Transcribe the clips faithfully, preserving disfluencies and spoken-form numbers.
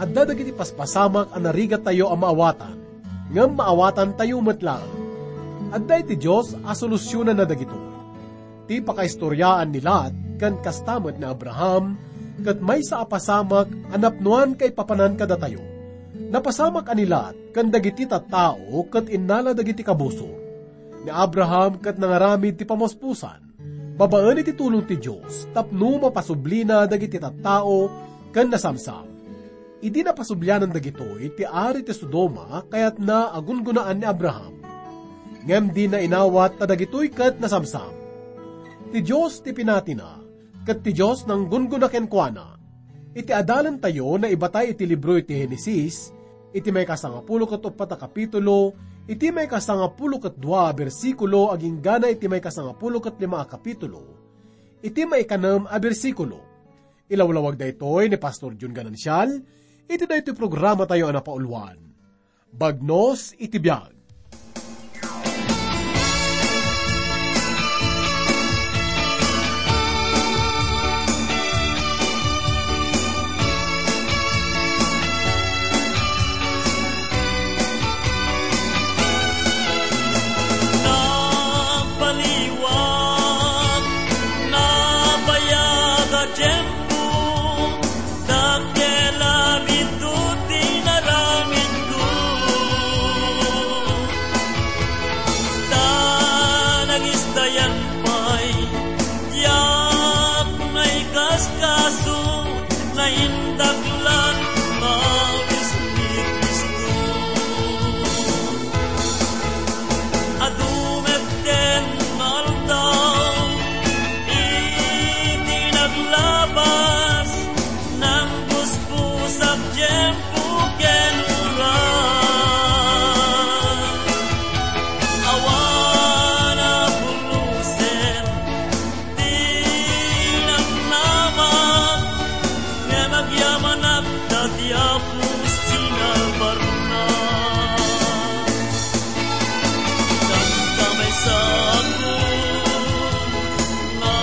Adda dagiti paspasamak a narigattayo a maawatan, ngem maawatantayo met laeng. Adda iti Dios a solusionanna dagitoy. Ti pakaistoriaan ni Lot ken kasta met ni Abraham ket maysa a pasamak a napnoan kaipapanan kadatayo. Napasamak a ni Lot ken dagiti tattao ket innala dagiti kabusor. Ni Abraham ket nangaramid ti pamuspusan babaen iti tulong ti Dios tapno mapasublina dagiti tattao ken nasamsam. Idi napasublianan dagitoy ti ari ti Sodoma, kayatna a gungunaan ni Abraham. Ngem dina inawat ta dagitoy ket nasamsam. Ti Dios ti pinatina, ket ti Dios nanggunguna kenkuana. Iti adalentayo, naibatay iti libro iti Genesis, iti maikasangapulo ket uppat a kapitulo, iti maikasangapulo ket dua a bersikulo, aginggana iti maikasangapulo ket lima a kapitulo, iti maikanem a bersikulo. Ilawlawag daytoy ni Pastor Jun Ganancial, iti daytoy programatayo a napauluan, Bagnos iti Biag. Napaliwag, nabayag a tiempo, dakkel a biit ti inaramidko. Ta nagistayan pay, diak naikaskaso, naindaklan, mawis ni Cristo. Adu met ken aldaw, iti naglabas, nanggusposak tiempo ken oras. Awan a pulusen ti namnama, ngem agyamanak ta ti Apo sinalbarna. Tanta maysa a pulo nga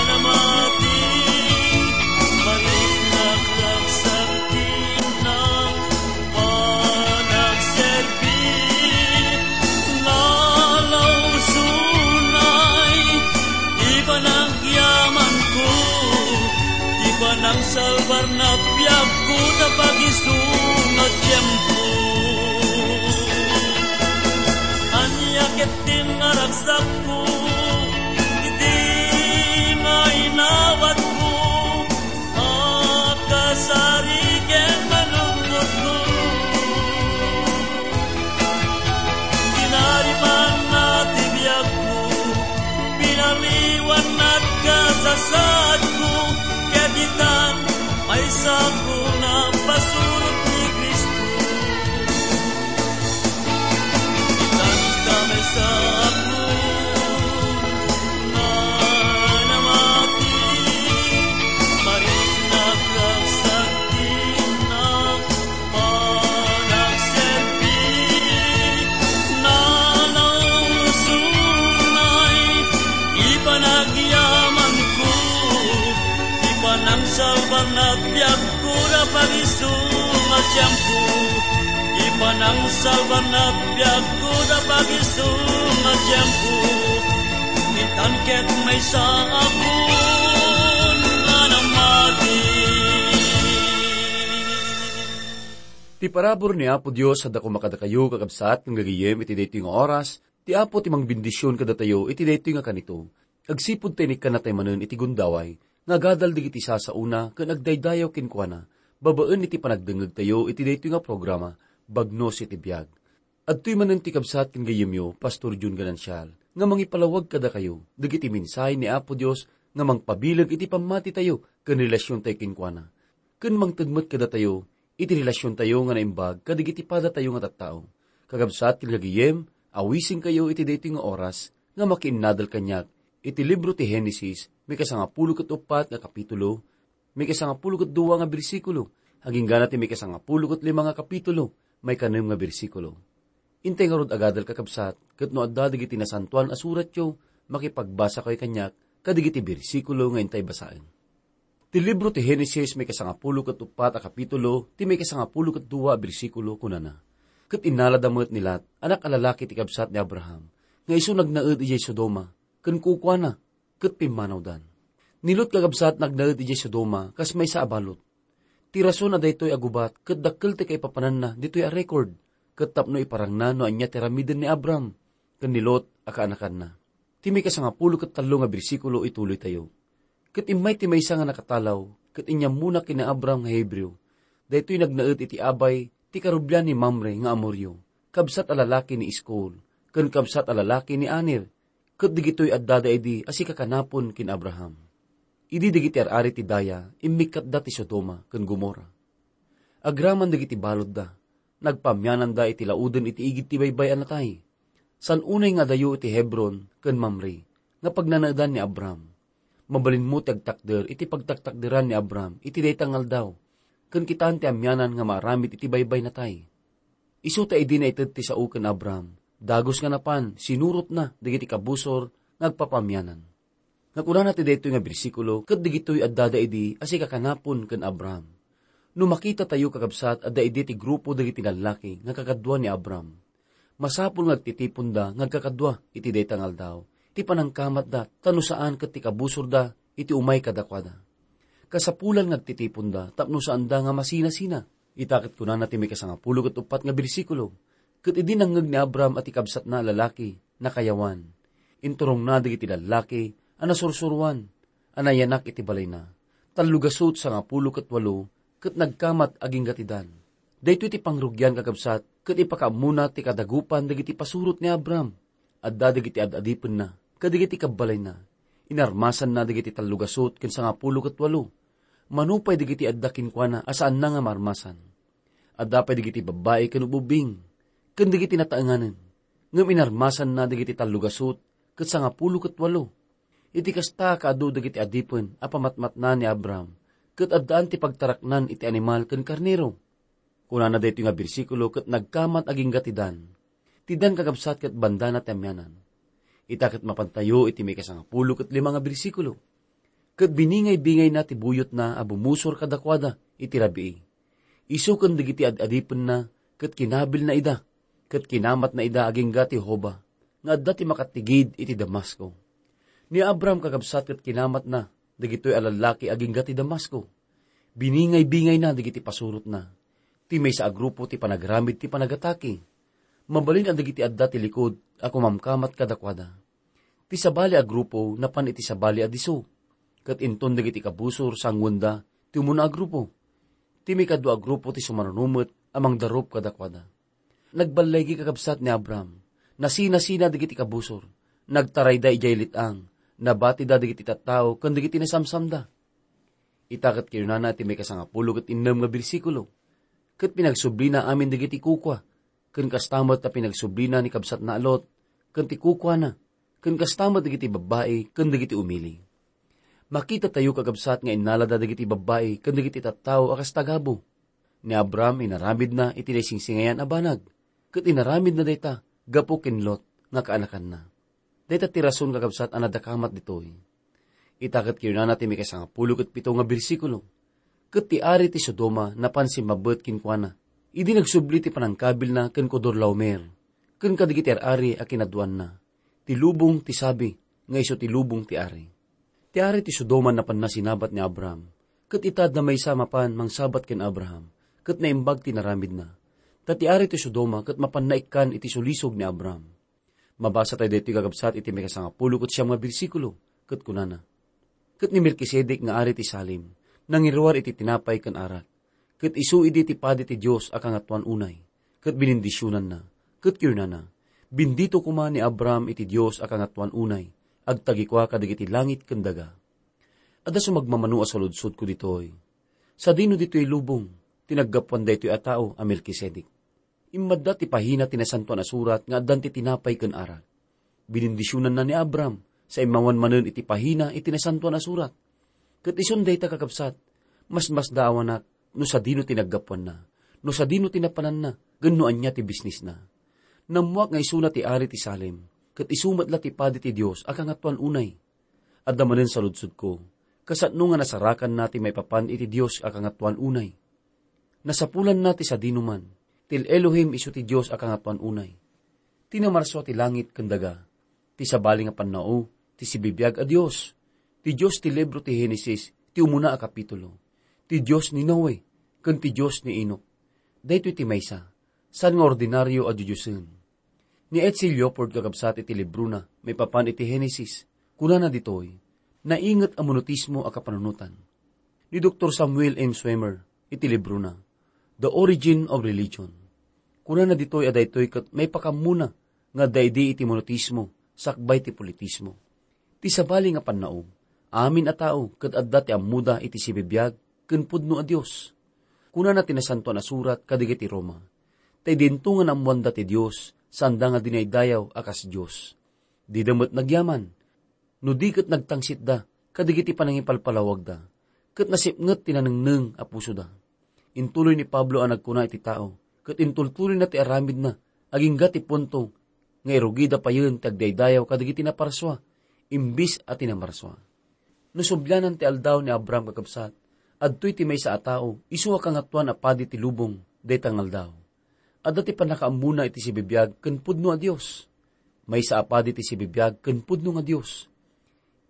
namati, marinak ragsak ti innak panagserbi, nga lausunay ti panagyamanko, ti panangsalbar na biagko ta pagisu nga tiempo. Ania ket ti naragsakko, iti nga inawatko, a kasari ken manunotko. Tinarimanna ti biagko, pinaliwanna ti kasasaadko, ket itan, maysako napasurot ni Cristo. Itan ta maysa a pulo nga namati, marinak ragsak ti innak panagserbi, nga nausunay ti panagyamanko, ti panangsalbar na biagko da pagisu nga tiempo, ti panangsalbar na biagko da pagisu nga tiempo, itan ket maysa a pulo nga namati. Ti parabur ni Apo Dios a dakuma kadakayo, kakabsat, nga gagayyem iti daytoy nga oras. Ti Apo ti mangbendision kadatayo iti daytoy nga kanito. Agsipud ta inikkannatay manen iti gundaway nga agadal dagiti sasaona ken agdaydayaw kenkuana babaen iti panagdengngegtayo iti daytoy nga programa, Bagnos iti Biag. Adtoy manen ti kabsat ken gayyemyo, Pastor Jun Ganancial, nga mangipalawag kadakayo dagiti mensahe ni Apo Dios nga mangpabileg iti pammatitayo ken relasiontayo kenkuana, ken mangted met kadatayo iti relasiontayo nga naimbag kadagiti padatayo nga tattao. Kakabsat ken gagayyem, awisenkayo iti daytoy nga oras nga makiinnadal kaniak iti libro ti Genesis, maikasangapulo ket uppat nga kapitulo, maikasangapulo ket dua nga bersikulo, agingga ti maikasangapulo ket lima nga kapitulo, maikanem nga bersikulo. Intay ngarud agadal, kakabsat, ket no adda dagiti nasantoan a suratyo, makipagbasakayo kaniak kadagiti bersikulo nga intay basaen. Ti libro ti Genesis, maikasangapulo ket uppat a kapitulo, ti maikasangapulo ket dua a bersikulo, kunana: Ket innalada met ni Lot, anak a lalaki ti kabsat ni Abraham, nga isu nagnaed idiay Sodoma, ken kukuana, ket pimmanawdan. Ni Lot, kakabsat, nagnaed idiay Sodoma kas maysa a balud. Ti rason a daytoy a gubat ket dakkel ti kaipapananna ditoy a record, ket tapno iparangna no ania ti aramiden ni Abram ken ni Lot a kaanakanna. Ti maikasangapulo ket tallo nga bersikulo ituloytayo: Ket immay ti maysa nga nakatalaw, ket inyammona ken ni Abram nga Hebreo. Daytoy nagnaed iti abay ti karubian ni Mamre nga Amorio, kabsat a lalaki ni Eskol, ken kabsat a lalaki ni Aner, ket digitoy addada idi a sikakanapon ken Abraham. Idi dagiti ar-ari ti daya, immikkatda ti Sodoma ken Gomorra. Agraman dagiti baludda, nagpaamiananda iti lauden iti igid ti baybay a natay. Saan unay nga adayo iti Hebron ken Mamre nga pagnanaedan ni Abram. Mabalinmo ti agtakder iti pagtaktakderan ni Abram iti dayta nga aldaw, ken kitaen ti amianan nga maaramid iti baybay natay. Isu ta idi naited ti sao ken Abram, dagus nga napan, sinurotna dagiti kabusor nga agpapaamianan. Nga kunana ti daytoy nga bersikulo, ket digitoy addada idi a sikakanapon ken Abraham. No makitatayo, kakabsat, adda idi ti grupo dagiti lallaki nga kakadua ni Abraham. Masapul nga agtitiponda nga agkakadua iti dayta nga aldaw ti panangkamatda, ta no saan ket ti kabusorda iti umay kadakuada. Kasapulan nga agtitiponda tapno saanda nga masinasina. Ita ket kunana ti maikasangapulo ket uppat nga bersikulo: Ket idi nangngeg ni Abraham a ti kabsatna a lalaki nakayawan, inturongna dagiti lallaki a nasursuroan a nayanak iti balayna. Tallo gasut sangapulo ket walo ket nagkamat agingga ti Dan. Daytoy ti pangrugian, kakabsat, ket ipakaammona ti kadagupan dagiti pasurot ni Abraham. Adda dagiti ad-adipenna kadagiti kabbalayna. Inarmasanna dagiti tallo gasut ken sangapulo ket walo. Mano pay dagiti adda kenkuana a saanna nga maarmasan. Adda pay dagiti babbai ken ubbing, ken dagiti nataenganen, ngem inarmasanna dagiti tallo gasut ket sangapulo ket walo. Iti kasta, kaadu dagiti adipen a pamatmatna ni Abraham, ket addaan ti pagtaraknan iti animal ken karnero. Kunana daytoy nga bersikulo, ket nagkamat agingga ti Dan. Ti Dan, kakabsat, ket bandana ti amianan. Ita ket mapantayo iti maikasangapulo ket lima nga bersikulo: Ket biningay-bingayna ti buyotna a bumusor kadakuada iti rabii. Isu ken dagiti ad-adipenna ket kinabilna ida, ket kinamatna ida agingga ti Hoba, nga adda ti makatigid iti Damasco. Ni Abraham, kakabsat, ket kinamatna dagitoy a lallaki agingga ti Damasco. Biningay-bingayna dagiti pasurotna. Ti maysa a grupo ti panagramid ti panagatake. Mabalin a dagiti adda ti likud a kumamkamat kadakuada. Ti sabali a grupo napan iti sabali a disso, ket inton dagiti kabusor, sanguenda ti umuna a grupo. Ti maikadua a grupo ti sumaruno met a mangdarup kadakuada. Nagballaygi, kakabsat, ni Abraham. Nasinasina dagiti kabusor. Nagtarayda idiay let-ang. Nabatida dagiti tattao ken dagiti nasamsamda. Ita ket kinunana ti maikasangapulo ket innem nga bersikulo: Ket pinagsublina amin dagiti kukua, ken kasta met a pinagsublina ni kabsatna a Lot ken ti kukuana, ken kasta met dagiti babbai ken dagiti umili. Makitatayo, kakabsat, nga innalada dagiti babbai ken dagiti tattao a kas tagabu. Ni Abraham inaramidna iti naisingsingayan a banag, ket inaramidna dayta gapu ken Lot nga kaanakanna. Dayta ti rason, kakabsat, a nadakamat ditoy. Ita ket kinunana ti maikasangapulo ket pito nga bersikulo: Ket ti ari ti Sodoma napan simmabbet kenkuana, idi nagsubli ti panangkabilna ken Kedorlaomer, ken kadagiti ar-ari a kinaduanna, ti lubong ti sabi nga isu ti lubong ti ari. Ti ari ti Sodoma napanna sinabat ni Abraham, ket ita adda maysa mapan mangsabat ken Abraham, ket naimbag ti naramidna. Ta ti ari ti Sodoma ket mapanna ikkan iti sulisog ni Abraham. Mabasa tayo daytoy, kakabsat, iti maikasangapulo ket siam nga bersikulo, ket kunana: Ket ni Melkisedek nga ari ti Salem, nangiruar iti tinapay ken arak. Ket isu idi ti padi ti Dios a Kangatoan unay, ket binindisionanna, ket kinunana: Bendito koma ni Abraham iti Dios a Kangatoan unay, agtagikua kadagiti langit ken daga. Adda sumagmamano a saludsodko ditoy: Sadino ditoy lubong ti naggapuan daytoy a tao a Melkisedek? Immadda ti pahina ti Nasantoan a Surat nga addan ti tinapay ken arak. Binindisionanna ni Abraham sa immawan manen iti pahina iti Nasantoan a Surat. Ket isun dayta, kakabsat, masmasdaawanak no sadino ti naggapuanna, no sadino ti napananna, ken no ania ti bisnisna. Nammuak nga isuna ti ari ti Salem, ket isu met la ti padi ti Dios a Kangatoan unay. Adda manen saludsodko: Kasano nga nasarakanna ti maipapan iti Dios a Kangatoan unay? Nasapulanna ti sadinoman, ti El-Elohim isu ti Dios a Kangatoan unay. Ti namarsua ti langit ken daga, ti sabali nga pannao, ti sibibiag a Dios, ti Dios ti libro ti Genesis, ti umuna a kapitulo, ti Dios ni Noe, ken ti Dios ni Enoc. Daytoy ti maysa, saan nga ordinario a didiosen. Ni H C Leopold kakabsat iti librona maipapan iti Genesis, kunana ditoy, nainget a monotismo a kapanunotan. Ni Doktor Samuel M. Swemer iti librona, The Origin of Religion, kunana ditoy a daytoy ket maipakammona nga adda idi iti monotismo sakbay ti politismo. Ti sabali nga pannao, amin a tao ket adda ti ammoda iti sibibiag ken pudno a Dios. Kunana ti Nasantoan a Surat kadagiti Roma, ta idinto nga naammoanda ti Dios, saanda nga dinaydayaw a kas Dios. Dida met nagyaman, no di ket nagtangsitda kadagiti panangipalpalawagda, ket nasipnget ti nanengneng a pusoda. Intuloy ni Pablo a nagkuna iti tao, ket intultuloyna ti aramidna, agingga ti punto nga irugida payen ti agdaydayaw kadagiti naparsua, imbis a ti namarsua. No sublianan ti aldaw ni Abraham kakabsat, adtoy ti maysa a tao, isu a kangatoan a padi ti lubong, dayta nga aldaw. Adda ti pannakaammona iti sibibiag ken pudno a Dios. Maysa a padi ti sibibiag ken pudno nga Dios.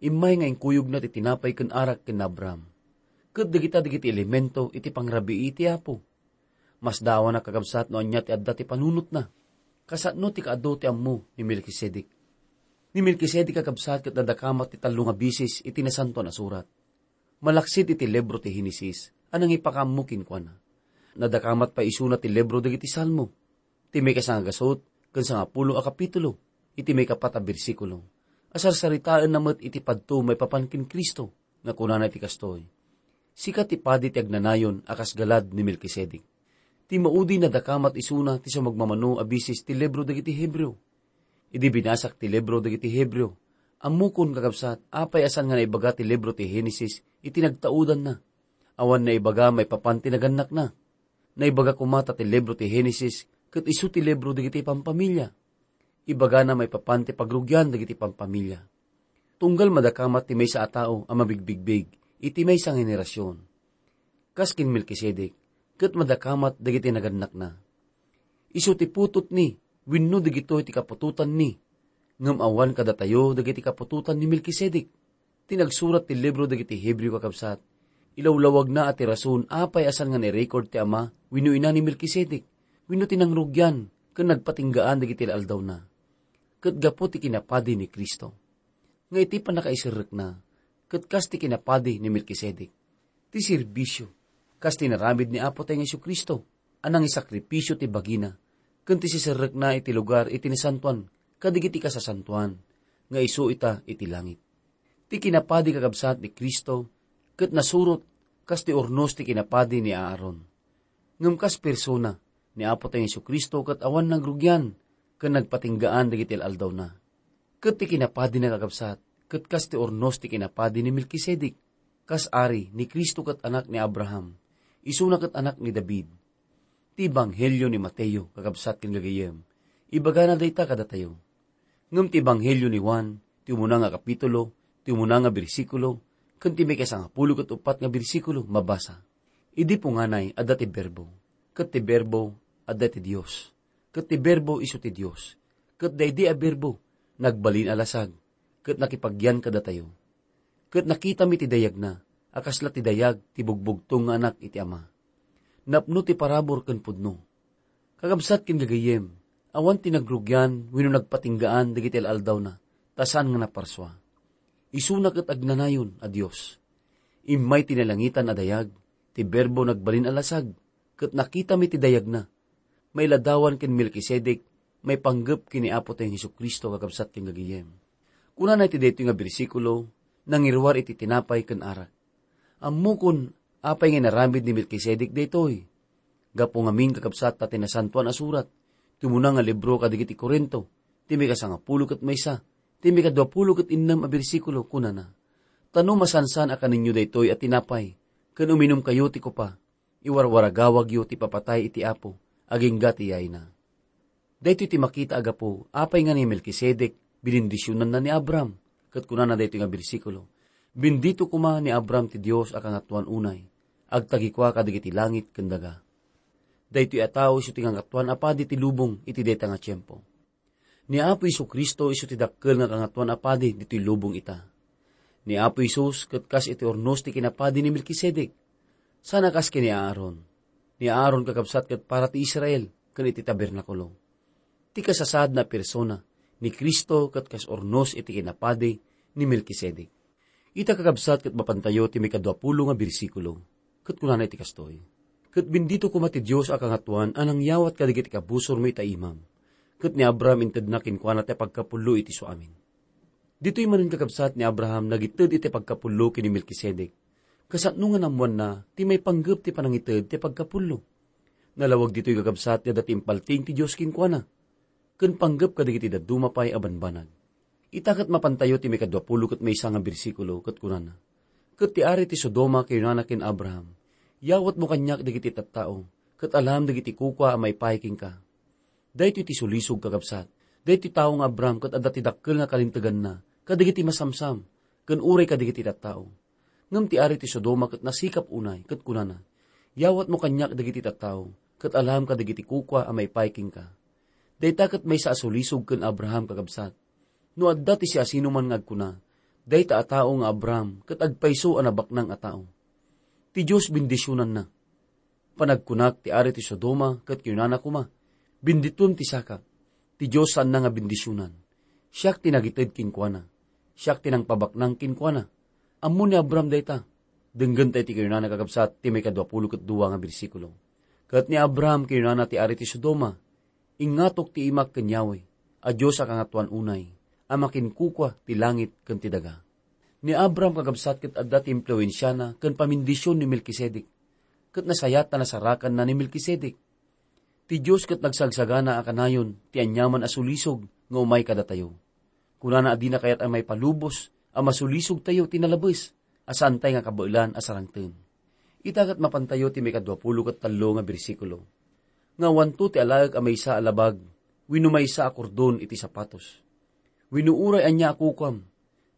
Immay nga inkuyogna ti tinapay ken arak ken ni Abraham. Ket dagita dagiti elemento iti pangrabii ti Apo. Masdawanak kakabsat no ania ti adda ti panunotna. Kasano ti kaadu ti ammo ni Melkisedek. Ni Melkisedek kakabsat ket nadakamat ti tallo nga bisis iti Nasantoan a Surat. Malaksid iti libro ti Genesis a nangipakaammo kenkuana. Nadakamat pay isuna ti libro dagiti Salmo, ti maikasangagasut ken sangapulo a kapitulo, iti maikapat a bersikulo, a sarsaritaenna met iti padto maipapan ken Cristo, nga kunana iti kastoy, "Sika ti padi ti agnanayon a kas galad ni Melkisedek." Ti maudi nadakamat isuna ti sumagmamano a bisis ti libro dagiti Hebreo. Idi binasak ti libro dagiti Hebreo, ammokon, kakabsat, apay a saan nga naibaga ti libro ti Genesis iti nagtaudanna. Awan naibaga maipapan ti nagannakna. Naibaga koma ta ti libro ti Genesis ket isu ti libro dagiti pampamilya. Ibagana maipapan ti pagrugian dagiti pampamilya. Tunggal madakamat ti maysa a tao a mabigbigbig iti maysa nga henerasion. Kas ken Melkisedek, ket madakamat dagiti nagannakna. Isu ti putotni wenno dagitoy ti kaputotanni, ngem awan kadatayo dagiti kaputotan ni Melkisedek. Ti nagsurat ti libro dagiti Hebreo, kakabsat, ilawlawagna a ti rason apay a saan nga nairecord ti ama wenno ina ni Melkisedek, wenno ti nangrugian ken nagpatinggaan dagiti aldawna. Ket gapu ti kinapadi ni Cristo, nga iti pannakaiserrekna, ket kas ti kinapadi ni Melkisedek. Ti serbisio, kas ti inaramid ni Apo tayo nga Jesu-Cristo, a nangisakripisio ti bagina, ken ti siserrekna iti lugar iti nasantoan kadagiti kasasantoan, nga isu ita iti langit. Ti kinapadi, kakabsat, ni Cristo, ket nasurot kas ti urnos ti kinapadi ni Aaron. Ngem kas persona ni Apo tayo Jesu-Cristo ket awan nagrugian ken nagpatinggaan dagiti aldawna. Ket ti kinapadina, kakabsat, ket kas ti urnos ti kinapadi ni Melkisedek, kas ari ni Cristo ket anak ni Abraham, isuna ket anak ni David. Ti Ebanghelio ni Mateo, kakabsat ken gagayyem, ibagana dayta kadatayo. Ngem ti Ebanghelio ni Juan, ti umuna nga kapitulo, ti umuna nga bersikulo, ken ti maikasangapulo ket uppat nga bersikulo, mabasa, "Idi punganay, adda ti Berbo, ket ti Berbo, adda ti Dios, ket ti Berbo isu ti Dios, ket daydi a Berbo, nagbalin a lasag, ket nakipagyan kadatayo. Ket nakitami ti dayagna, a kasla ti dayag ti bugbugtong nga Anak iti Ama. Napno ti parabur ken pudno." Kakabsat ken gagayyem, awan ti nagrugian wenno nagpatinggaan dagiti al-aldawna, ta saan nga naparsua. Isuna ket agnanayon a Dios. Immay ti nalangitan a dayag, ti Berbo nagbalin a lasag, ket nakitami ti dayagna. Mailadawan ken Melkisedek, maipanggep ken ni Apo tayo Jesu-Cristo, kakabsat ken gagayyem. Kunana iti daytoy nga bersikulo, nangiruar iti tinapay ken arak. Ammokon, apay nga inaramid ni Melkisedek daytoy? Gapu ngamin, kakabsat, ta ti Nasantoan a Surat, ti umuna nga libro kadagiti Corinto, ti maikasangapulo ket maysa, ti maikaduapulo ket innem a bersikulo, kunana, "Ta no masansan a kanenyo daytoy a tinapay, ken uminumkayo ti kopa, iwarwaragawagyo ti papatay iti Apo, agingga ti yayna." Daytoy ti makita a gapu, apay nga ni Melkisedek, binendisionanna ni Abraham. Ket kunana daytoy nga bersikulo, Bendito koma ni Abraham ti Dios a Kangatoan unay, agtagikua kadagiti langit ken daga. Daytoy a tao isu ti Kangatoan a Padi ti lubong iti dayta nga tiempo. Ni Apo Jesu-Cristo isu ti dakkel nga Kangatoan a Padi ditoy lubong ita. Ni Apo Jesus ket kas iti urnos ti kinapadi ni Melkisedek. Saan a kas ken ni Aaron. Ni Aaron kakabsat ket para ti Israel ken iti tabernakulo. Ti kasasaadna a persona ni Cristo ket kas urnos iti kinapadi ni Melkisedek. Ita kakabsat ket mapantayo ti maikadua pulo nga bersikulo, ket kunana iti kastoy, "Ket bendito koma ti Dios a Kangatoan a nangyawat kadagiti kabusormo ita imam, ket ni Abraham intedna kenkuana ti pagkapullo iti suamin." Ditoy manen kakabsat ni Abraham nagited iti pagkapullo ken ni Melkisedek. Kasano nga naammoanna ti maipanggep ti panangited ti pagkapullo? Nalawag ditoy kakabsat ti adda ti impaltiing ti Dios kenkuana, ken panggep kadagiti dadduma pay a banbanag. Ita ket mapantayo ti maikadua pulo ket maysa nga bersikulo ket kunana, "Ket ti ari ti Sodoma kinunana ken Abraham, 'Yawatmo kaniak dagiti tattao, ket alam dagiti kukua a maipaay kenka.'" Daytoy ti sulisog, kakabsat. Daytoy tao nga Abraham ket adda ti dakkel nga kalinteganna kadagiti masamsam ken uray kadagiti tattao. Ngem ti ari ti Sodoma ket nasikap unay ket kunana, "Yawatmo kaniak dagiti tattao, ket alam kadagiti kukua a maipaay kenka." Dayta ket maysa a sulisog ken Abraham, kakabsat. No adda ti siasinoman nga agkuna, "Dayta a tao nga Abraham ket agpayso a nabaknang a tao." Ti Dios bendisionanna. Panagkunak ti ari ti Sodoma ket kinunana koma, "Bendituem ti sakak." Ti Dios saanna nga bendisionan. Siak ti nagited kenkuana. Siak ti nangpabaknang kenkuana. Ammo ni Abraham dayta. Denggenta iti kinunana, kakabsat, ti maikadua pulo ket dua nga bersikulo. Ket ni Abraham kinunana ti ari ti Sodoma, "Ingngatok ti imak ken Yahweh, a Dios a kangatoan unay, a makinkukua ti langit ken ti daga." Ni Abraham, kakabsat, ket adda ti impluensiana ken pamindision ni Melkisedek, ket nasayaat a nasarakanna ni Melkisedek. Ti Dios ket nagsagsagana a kanayon ti aniaman a sulisog nga umay kadatayo. Kunana a dina kayat a maipalubos a masulisogtayo ti nalabes a saantay nga kabaelan a sarangten. Ita ket mapantayo ti maikadua pulo ket tallo nga bersikulo, nga awanto ti alaek a maysa a labag wenno maysa a kordon iti sapatos. Wenno uray ania a kukuam,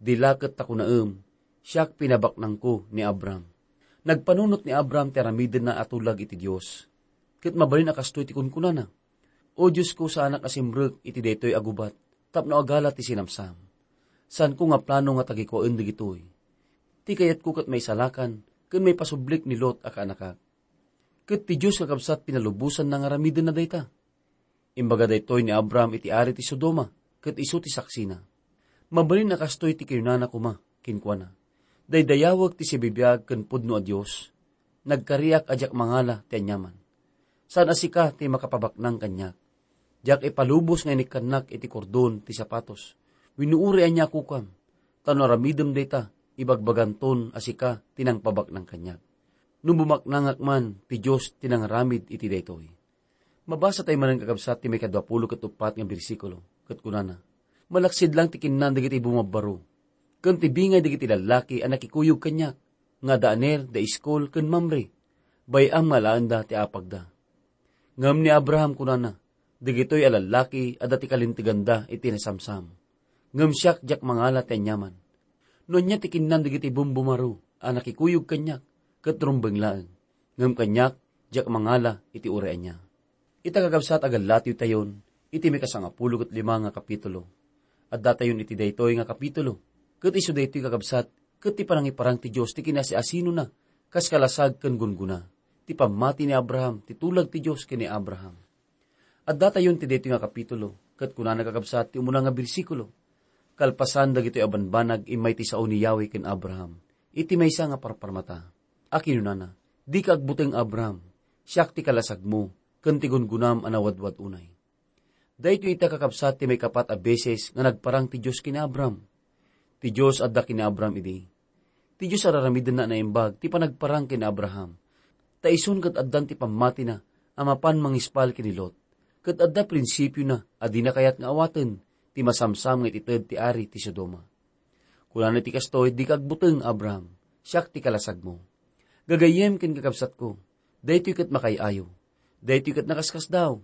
dila ket ta kunaem, "Siak pinabaknangko ni Abraham." Nagpanunot ni Abraham ti aramidenna a tulag iti Dios. Ket mabalin a kastoy ti kunkunana, "O Diosko, saanak a simrek iti daytoy a gubat tapno agala ti sinamsam. Saanko nga plano nga tagikuaen dagitoy. Ti kayatko ket maisalakan ken maipasublik ni Lot a kaanakak." Ket ti Dios, kakabsat, pinalubosanna nga aramidenna dayta. Imbaga daytoy ni Abraham iti ari ti Sodoma, ket isu ti saksina. Mabalin a kastoy ti kinunana koma kenkuana, "Daydayawek ti sibibiag ken pudno a Dios. Nagkariak a diak mangala ti aniaman. Saan a sika ti makapabaknang kaniak. Diak ipalubos nga inikkannak iti kordon ti sapatos wenno uray ania a kukuam, ta no aramidem dayta, ibagbaganton a sika ti nangpabaknang kaniak. No bumaknangak man, ti Dios ti nangaramid iti daytoy." Mabasa tayo manen, kakabsat, ti maikadua pulo ket uppat nga bersikulo, ket kunana, "Malaksid lang ti kinnan dagiti bumabbaro, ken ti bingay dagiti lallaki a nakikuyog kaniak, nga da Aner, da Eskol, ken Mamre. Bay-am nga alaenda ti apagda." Ngem ni Abraham kunana, "Dagitoy a lallaki adda ti kalinteganda iti nasamsam. Ngem siak, diak mangala ti aniaman. No ania ti kinnan dagiti bumbumaro a nakikuyog kaniak, ket rumbeng laeng. Ngem kaniak, diak mangala iti uray ania." Ita, kakabsat, agallatiwtayon iti maikasangapulo ket lima nga kapitulo. Addatayon iti daytoy nga kapitulo, ket isu daytoy, kakabsat, ket ti panangiparang ti Dios ti kinasiasinona, kas kalasag ken gunggona, ti pammati ni Abraham, ti tulag ti Dios ken ni Abraham. Addatayon ti daytoy nga kapitulo, ket kunana, kakabsat, ti umuna nga bersikulo, "Kalpasan dagitoy a banbanag, immay ti sao ni Yahweh ken Abraham iti maysa nga parparmata, a kinunana, 'Dika agbuteng, Abraham, siak ti kalasagmo ken ti gungonam a nawadwad unay.'" Daytoy ita, kakabsat, ti maikapat a beses nga nagparang ti Dios ken ni Abraham. Ti Dios adda ken ni Abraham idi. Ti Dios ar-aramidenna a naimbag ti panagparang ken ni Abraham, ta isun ket addan ti pammatina a mapan mangispal ken ni Lot, ket adda prinsipiona a dina kayat nga awaten ti masamsam nga itited ti ari ti Sodoma. Kunana iti kastoy, "Dika agbuteng, Abraham, siak ti kalasagmo." Gagayyem ken kakabsatko, daytoy ket makaay-ayo. Daytoy ket nakaskasdaaw.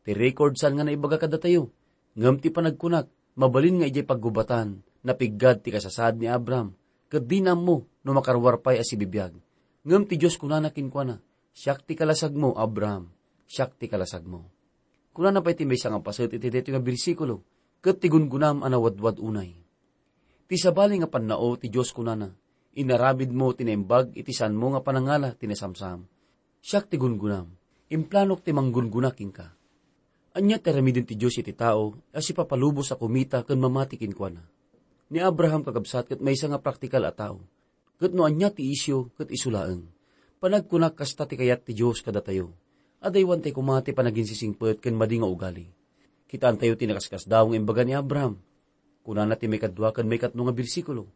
Ti record saan nga naibaga kadatayo, ngem ti panagkunak, mabalin nga idiay paggubatan, napiggad ti kasasaad ni Abraham, ket dina ammo no makaruar pay a sibibiag. Ngem ti Dios kunana kenkuana, "Siak ti kalasagmo, Abraham, siak ti kalasagmo." Kunana pay ti maysa nga paset iti daytoy nga bersikulo, ket ti gungunam a nawadwad unay. Ti sabali nga pannao ti Dios kunana, "Inaramidmo ti naimbag iti saanmo nga panangala ti nasamsam. Siak ti gungunam, implanok ti manggungguna kenka." Ania ti aramiden ti Dios iti tao a sipapalubos a kumita ken mamati kenkuana? Ni Abraham kakabsat ket maysa nga praktikal a tao. Ket no ania ti isyu, ket isu laeng. Panagkunak kasta ti kayat ti Dios kadatayo. Adaywantay koma ti panaginsisingpet ken madi nga ugali. Kitaentayo ti nakaskasdaaw nga imbaga ni Abraham. Kunana ti maikadua ken maikatlo nga bersikulo,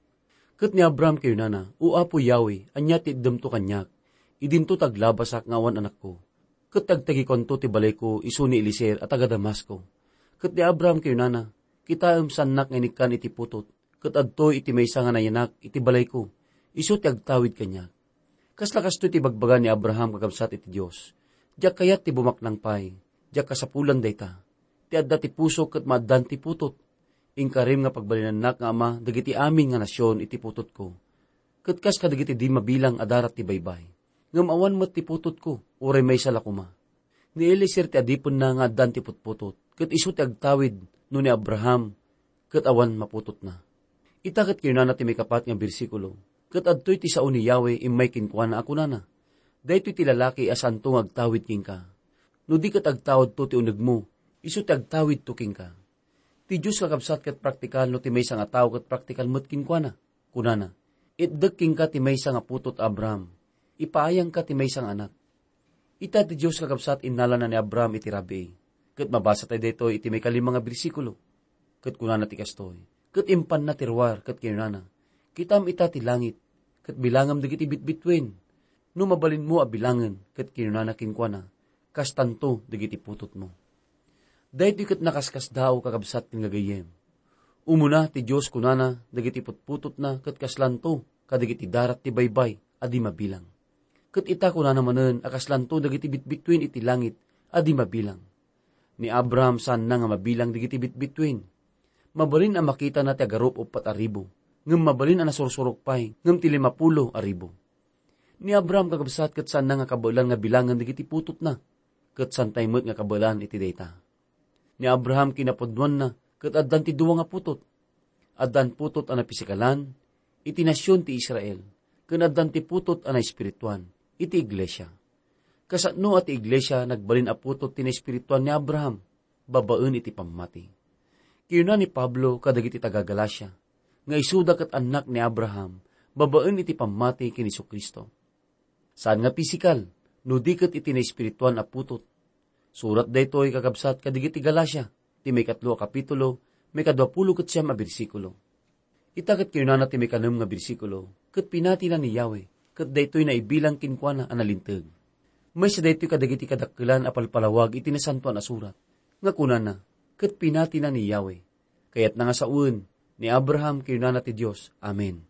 "Ket ni Abraham kinunana, 'O Apo Yahweh, ania ti itdemto kaniak? Idinto ta aglabasak nga awan anakko. Ket ti agtagikuanto ti balayko isu ni Eliezer a taga-Damasco.' Ket ni Abraham kinunana, 'Kitaem, saannak nga inikkan iti putot, ket adtoy iti maysa nga nayanak iti balayko, isu ti agtawid kaniak.'" Kasla kastoy ti ibagbaga ni Abraham kakabsat iti Dios, "Diak kayat ti bumaknang pay, diak kasapulan dayta. Ti adda ti pusok ket maaddaan ti putot. Inkarim nga pagbalinannak nga ama dagiti amin nga nasion iti putotko, ket kas kadagiti di mabilang a darat ti baybay. Ngem awan met ti putotko, uray maysa la koma. Ni Eliezer ti adipenna nga addaan ti putputot, ket isu ti agtawid no ni Abraham ket awan maputotna." Ita ket kinunana ti maikapat nga bersikulo, "Ket adtoy ti sao ni Yahweh immay kenkuana a kunana, 'Daytoy ti lalaki a saanto nga agtawid kenka. No di ket agtaudto ti unegmo, isu ti agtawidto kenka.'" Ti Dios kakabsat ket praktikal no ti maysa nga tao ket praktikal met kenkuana. Kunana, "Itdek kenka ti maysa nga putot, Abraham. Ipaayangka ti maysa nga anak." Ita ti Dios kakabsat innalana ni Abraham iti rabii. Ket mabasa tayo daytoy iti maikalima nga bersikulo. Ket kunana ti kastoy, "Ket impanna ti ruar ket kinunana, 'Kitam ita ti langit, ket bilangam dagiti bitbituen. No mabalinmo a bilangen,' ket kinunana kenkuana, 'Kastanto dagiti putotmo.'" Daytoy ket nakaskasdaaw, kakabsat, ken gagayyem. Umuna ti Dios kunana dagiti putputotna ket kaslanto kadagiti darat ti baybay a di mabilang. Ket ita kunana manen a kaslanto dagiti bitbituen iti langit a di mabilang. Ni Abraham saanna nga mabilang dagiti bitbituen. Mabalin a makitana ti agarup uppat a ribu, ngem mabalin a nasursurok pay ngem ti limapulo a ribu. Ni Abraham kakabsat ket saanna nga kabaelan nga bilangen dagiti putotna, ket saantay met nga kabaelan iti dayta. Ni Abraham kinapudnoanna ket addan ti dua nga putot. Addan putot a napisikalan iti nasion ti Israel, ken addan ti putot a naespirituan iti iglesia. Kasano a ti iglesia nagbalin a putot ti naespirituan ni Abraham babaen iti pammati. Kinuna ni Pablo kadagiti taga-Galacia nga isuda ket annak ni Abraham babaen iti pammati ken Jesu-Cristo. Saan nga pisikal, no di ket iti naespirituan a putot. Surat daytoy, kakabsat, kadagiti Galacia, ti maikatlo a kapitulo, maikadua pulo ket siam a bersikulo. Ita ket kinunana ti maikanem nga bersikulo, "Ket pinatina ni Yahweh, ket daytoy naibilang kenkuana a nalinteg." Maysa daytoy kadagiti kadakkelan a palpalawag iti Nasantoan a Surat, nga kunana, "Ket pinatina ni Yahweh." Kayatna nga sawen, ni Abraham kinunana ti Dios, "Amen."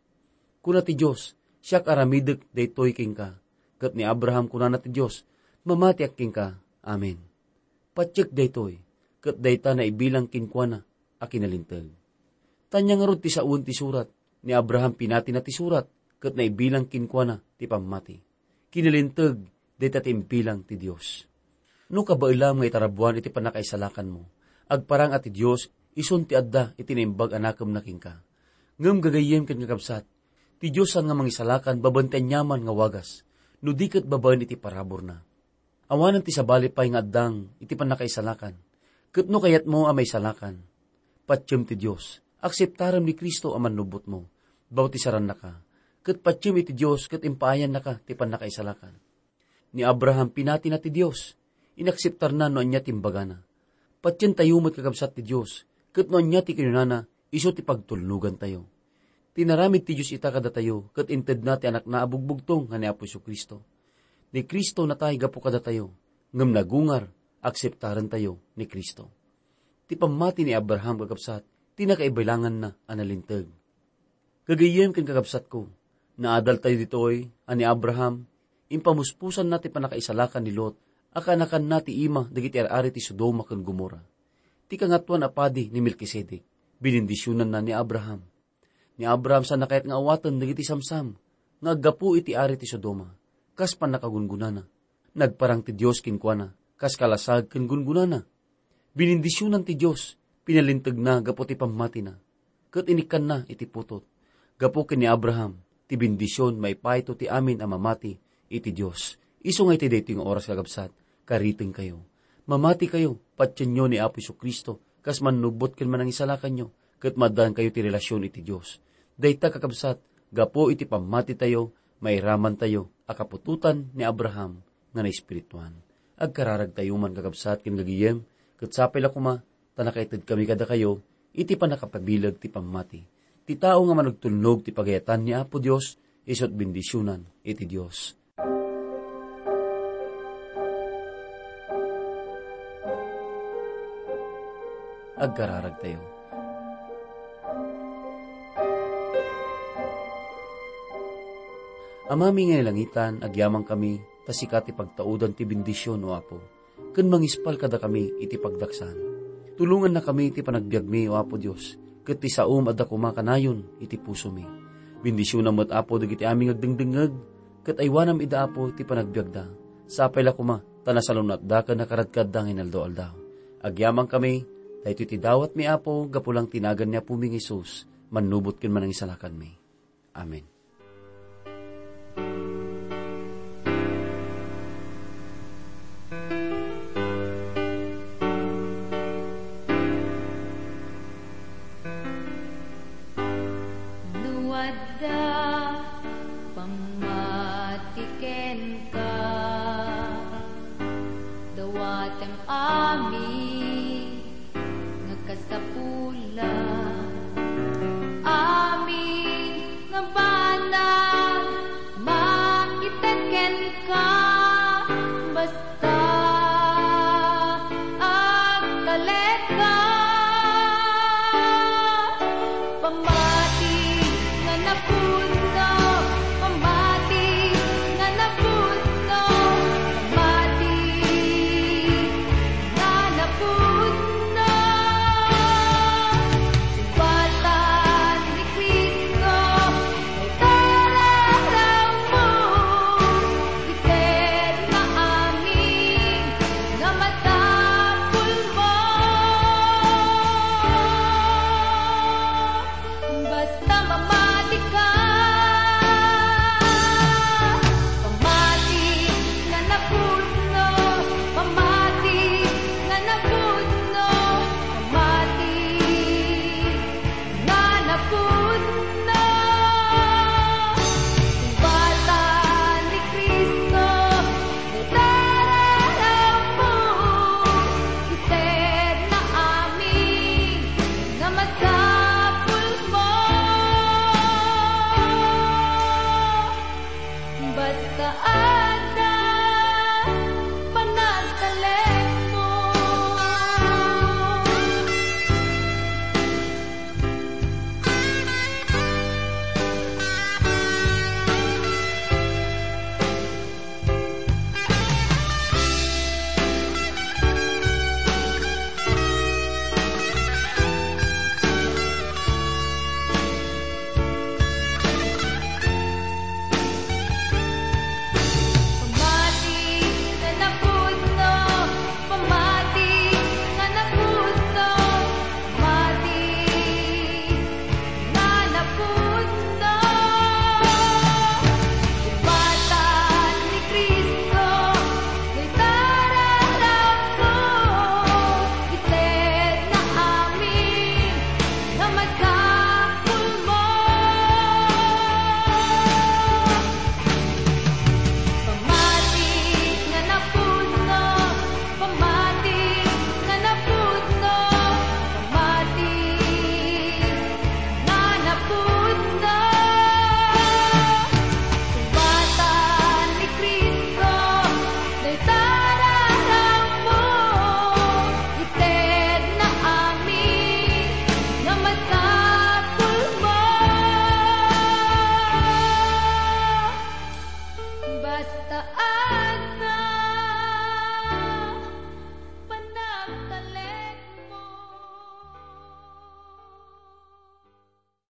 Kuna ti Dios, "Siak aramidek daytoy kenka." Ket ni Abraham kunana ti Dios, "Mamatiak kenka." Amen. Patiek daytoy, ket dayta naibilang kenkuana a kinalinteg. Ania ngarud ti sawen ti surat? Ni Abraham pinatina ti surat, ket naibilang kenkuana ti pammati. Kinalinteg dayta ti imbilang ti Dios. No kabaelam nga itarabuan iti pannakaisalakanmo, agparang a ti Dios isun ti adda iti naimbag a nakemna kenka. Ngem gagayyem ken kakabsat, ti Dios saan nga mangisalakan babaen ti aniaman nga wagas, no di ket babaen iti paraburna. Awanen ti sabali pay nga addang iti pannakaisalakan. Ket no kayatmo a maisalakan, patiem ti Dios, akseptarem ni Cristo a mannubbotmo, bautisarannaka, ket patiem iti Dios ket impaayannaka ti pannakaisalakan. Ni Abraham pinatina ti Dios, inakseptarna no ania ti imbagana. Patientayo met, kakabsat, ti Dios, ket no ania ti kinunana, isu ti pagtulnogantayo. Tinaramid ti Dios ita kadatayo, ket intedna ti Anakna a bugbugtong nga ni Apo Jesu-Cristo. Ni Cristo natay gapu kadatayo, ngem nagungar, akseptarentayo ni Cristo. Ti pammati ni Abraham, kakabsat, ti nakaibilanganna a nalinteg. Gagayyem ken kakabsatko, naadaltayo ditoy a ni Abraham, impamuspusanna ti pannakaisalakan ni Lot a kaanakanna ti ima dagiti ar-ari ti Sodoma ken Gomorra. Ti Kangatoan a Padi ni Melkisedek, binendisionanna ni Abraham. Ni Abraham saan kayat nga awaten dagiti samsam nga aggapu iti ari ti Sodoma, kas pannakagungunana. Nagparang ti Dios kenkuana, kas kalasag ken gungunana. Binindisionan ti Dios, pinalintegna gapu ti pammatina, ket inikkanna iti putot. Gapu ken ni Abraham, ti bendision maipayto ti amin a mamati iti Dios. Isu nga iti daytoy nga oras, kakabsat, karitengkayo. Mamatikayo, patienyo ni Apo Jesu-Cristo, kas mannubot ken manangisalakanyo, ket maaddaankayo ti relasion iti Dios. Dayta, kakabsat, gapu iti pammatitayo, mairamantayo a kaputotan ni Abraham nga naespirituan. Agkararagtayo man, kakabsat ken gagayem, ket sapay la koma ta nakaitedkami kadakayo iti pannakapabileg ti pammati. Ti tao nga managtulnog ti pagayatan ni Apo Dios, isu't bendisionan iti Dios. Agkararagtayo. Amami nga nailangitan, agyamankami ta sika ti pagtaudan ti bendision, O Apo, ken mangispal kadakami iti pagdaksan. Tulongannakami iti panagbiagmi, O Apo Dios, ket ti saom adda koma kanayon iti pusomi. Bendisionam met, Apo, dagiti amin nga agdengdengngeg, ket aywanam ida, Apo, ti panagbiagda. Sapay la koma ta nasalun-atda ken nakaradkada nga inaldaw-aldaw. Agyamankami, daytoy ti dawatmi, Apo, gapu lang ti nagan ni Apomi nga Jesus, mannubot ken manangisalakanmi. Amen. No adda pammati kenka, dawatem amin nga kasapulan. Amin nga banag maited kenka, basta agtalek ka. Pammati nga napuno